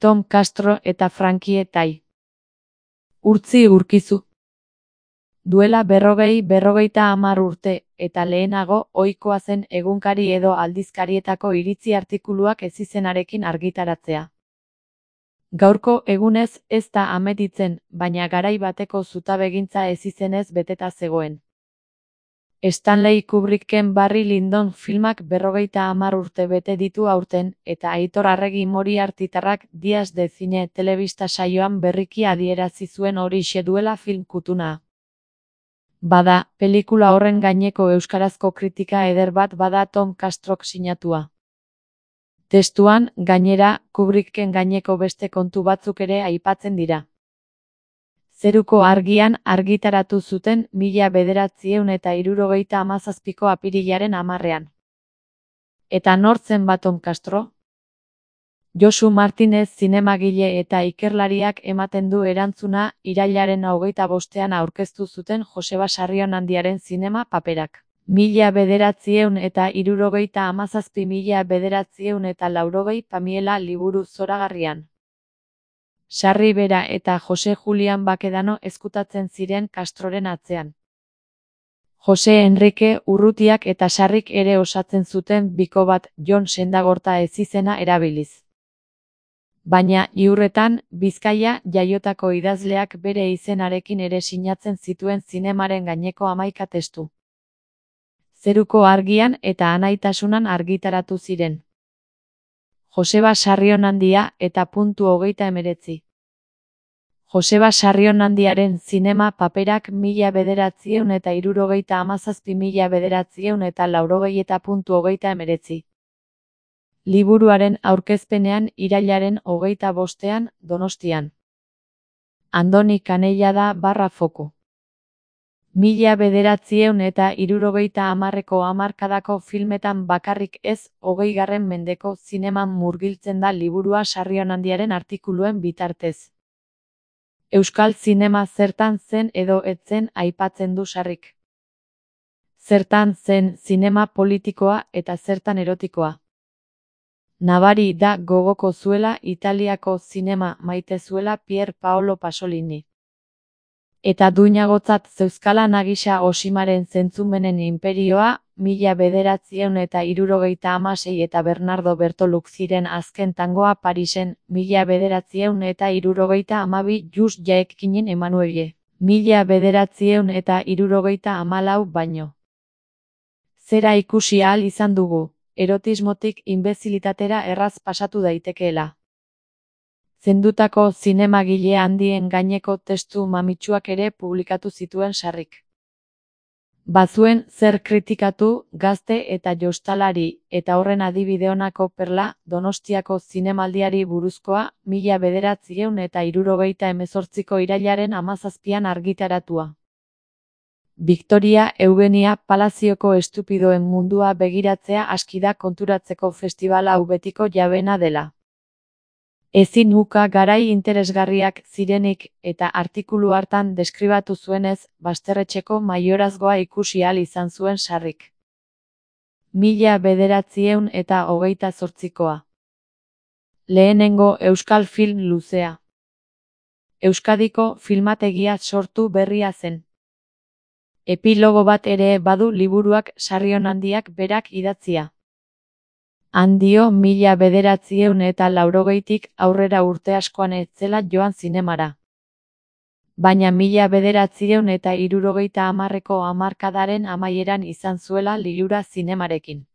Tom Castro eta Frankie Tai. Urtzi urkizu. Duela 40-50 urte, eta lehenago ohikoa zen egunkari edo aldizkarietako iritzi artikuluak ezizenarekin argitaratzea. Gaurko egunez ez da ametitzen, baina garai bateko zutabegintza ezizenez beteta zegoen. Stanley Kubricken Barry Lyndon filmak 50 urte bete ditu aurten, eta Aitor Arregi Moriartytarrak Dias de Cine telebista saioan berriki adierazi zuen horixe duela film kutuna. Bada, pelikula horren gaineko euskarazko kritika eder bat bada Tom Castrok sinatua. Testuan, gainera, Kubricken gaineko beste kontu batzuk ere aipatzen dira. Zeruko Argian argitaratu zuten 1977ko apirilaren 10ean. Eta nor zen ba Tom Castro? Josu Martinez zinemagile eta ikerlariak ematen du erantzuna irailaren 25ean aurkeztu zuten Joseba Sarrionandiaren zinema paperak. 1937-1980 Pamiela liburu zoragarrian. Sarri bera eta Jose Julian Bakedano ezkutatzen ziren Castroren atzean. Jose Enrique Urrutiak eta Sarrik ere osatzen zuten biko bat Jon Sendagorta ezizena erabiliz. Baina, iurretan, Bizkaia jaiotako idazleak bere izenarekin ere sinatzen zituen zinemaren gaineko 11 testu. Zeruko Argian eta Anaitasunan argitaratu ziren. Joseba Sarrionandia eta .39. Joseba Sarrionandiaren zinema paperak 1937-1980 eta .39. Liburuaren aurkezpenean irailaren 25ean Donostian. Andoni Canellada /Foku. 1970ko hamarkadako filmetan bakarrik ez, 20. mendeko zineman murgiltzen da liburua Sarrionandiaren artikuluen bitartez. Euskal zinema zertan zen edo ez zen aipatzen du Sarrik. Zertan zen zinema politikoa eta zertan erotikoa. Nabari da gogoko zuela Italiako zinema maite zuela Pier Paolo Pasolini. Eta duinagotzat zeuzkala Nagisa Oshimaren Zentzumenen Inperioa, 1976 eta Bernardo Bertoluk ziren azken tangoa Parisen, 1972 Just Jaekinen Emanuelle, 1974 baino. Zera ikusi ahal izan dugu, erotismotik inbezilitatera erraz pasatu daitekeela. Zendutako zinemagile handien gaineko testu mamitsuak ere publikatu zituen Sarrik. Bazuen zer kritikatu, gazte eta jostalari, eta horren adibide honako Perla, Donostiako zinemaldiari buruzkoa, 1978ko irailaren 17ean argitaratua. Victoria Eugenia Palazioko estupidoen mundua begiratzea aski da konturatzeko festival hau betiko jabena dela. Ezin uka garai interesgarriak zirenik eta artikulu hartan deskribatu zuenez, Basterretxeko maiorazgoa ikusi ahal izan zuen Sarrik. 1928koa. Lehenengo euskal film luzea. Euskadiko filmategia sortu berria zen. Epilogo bat ere badu liburuak Sarrionandiak berak idatzia. Handio 1980tik aurrera urte askoan ez zela joan zinemara. Baina 1970ko hamarkadaren amaieran izan zuela lilura zinemarekin.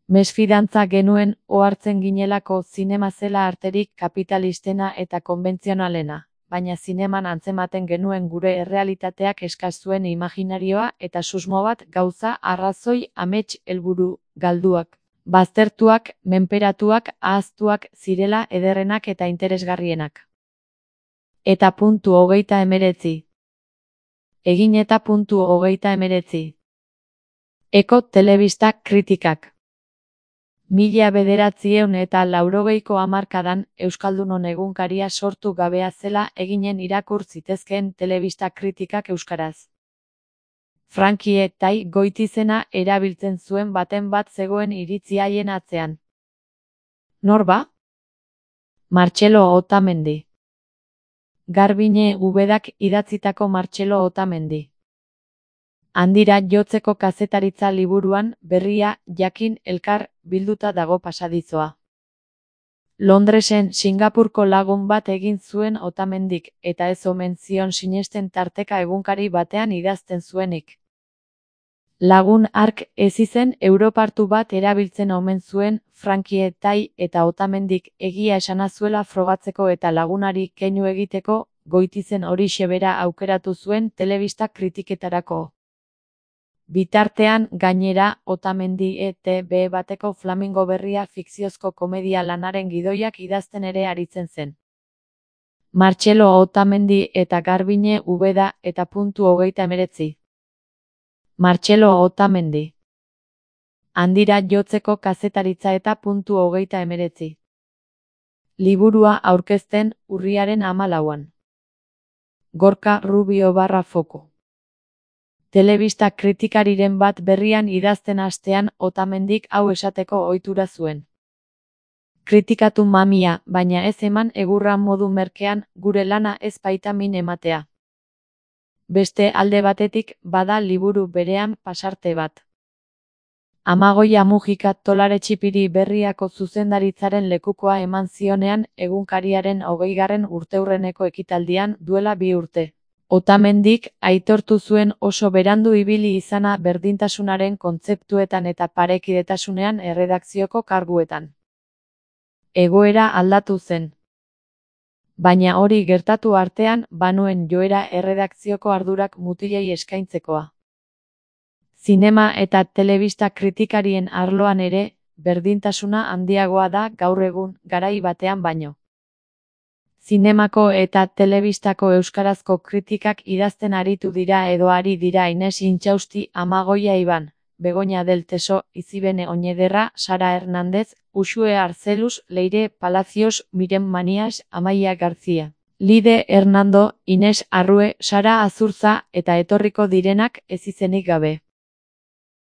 Mesfidantza genuen ohartzen ginelako zinema zela arterik kapitalistena eta konbentzionalena, baina zineman antzematen genuen gure errealitateak eskaz zuen imaginarioa eta susmo bat gauza, arrazoi, amets, helburu, galduak. Baztertuak, menperatuak, ahaztuak zirela ederrenak eta interesgarrienak. Eta .39. Egin eta .39. Eko telebista kritikak. 1980ko hamarkadan Euskaldunon egunkaria sortu gabea zela eginen irakur zitezkeen telebista kritikak euskaraz. Frankie Tai Goitizena erabiltzen zuen baten bat zegoen iritzi haien atzean. Nor ba? Martxelo Otamendi. Garbiñe Ubedak idatzitako Martxelo Otamendi. Handira jotzeko kazetaritza liburuan berria jakin elkar bilduta dago pasadizoa. Londresen Singapurko lagun bat egin zuen Otamendik eta ez omen zion sinesten tarteka egunkari batean idazten zuenik. Lagun hark ez izen europartu bat erabiltzen omen zuen Frankie Tai eta Otamendik egia esana zuela frogatzeko eta lagunari keinu egiteko Goitizen horixe bera aukeratu zuen telebista kritiketarako. Bitartean, gainera, Otamendi ETB bateko Flamingo berria fikziozko komedia lanaren gidoiak idazten ere aritzen zen. Martxelo Otamendi eta Garbiñe Ubeda eta .39. Martxelo Otamendi. Handira jotzeko kazetaritza eta .39. Liburua aurkezten urriaren 14. Gorka Rubio /Foko. Telebista kritikariren bat berrian idazten hastean Otamendik hau esateko ohitura zuen. Kritikatu mamia, baina ez eman egurra modu merkean, gure lana ez baita min ematea. Beste alde batetik, bada liburu berean pasarte bat. Amagoia Mujika Tolare Txipiri berriako zuzendaritzaren lekukoa eman zionean egunkariaren 20. urteurreneko ekitaldian duela 2 urte. Otamendik aitortu zuen oso berandu ibili izana berdintasunaren kontzeptuetan eta parekidetasunean erredakzioko karguetan. Egoera aldatu zen. Baina hori gertatu artean banuen joera erredakzioko ardurak mutilei eskaintzekoa. Zinema eta telebista kritikarien arloan ere, berdintasuna handiagoa da gaur egun garai batean baino. Zinemako eta telebistako euskarazko kritikak idazten aritu dira edo ari dira Ines Intxausti, Amagoia Iban, Begoña del Teso, Izibene Oñederra, Sara Hernández, Uxue Arcelus, Leire Palacios, Miren Manias, Amaia García, Lide Hernando, Ines Arrue, Sara Azurza eta etorriko direnak ez izenik gabe.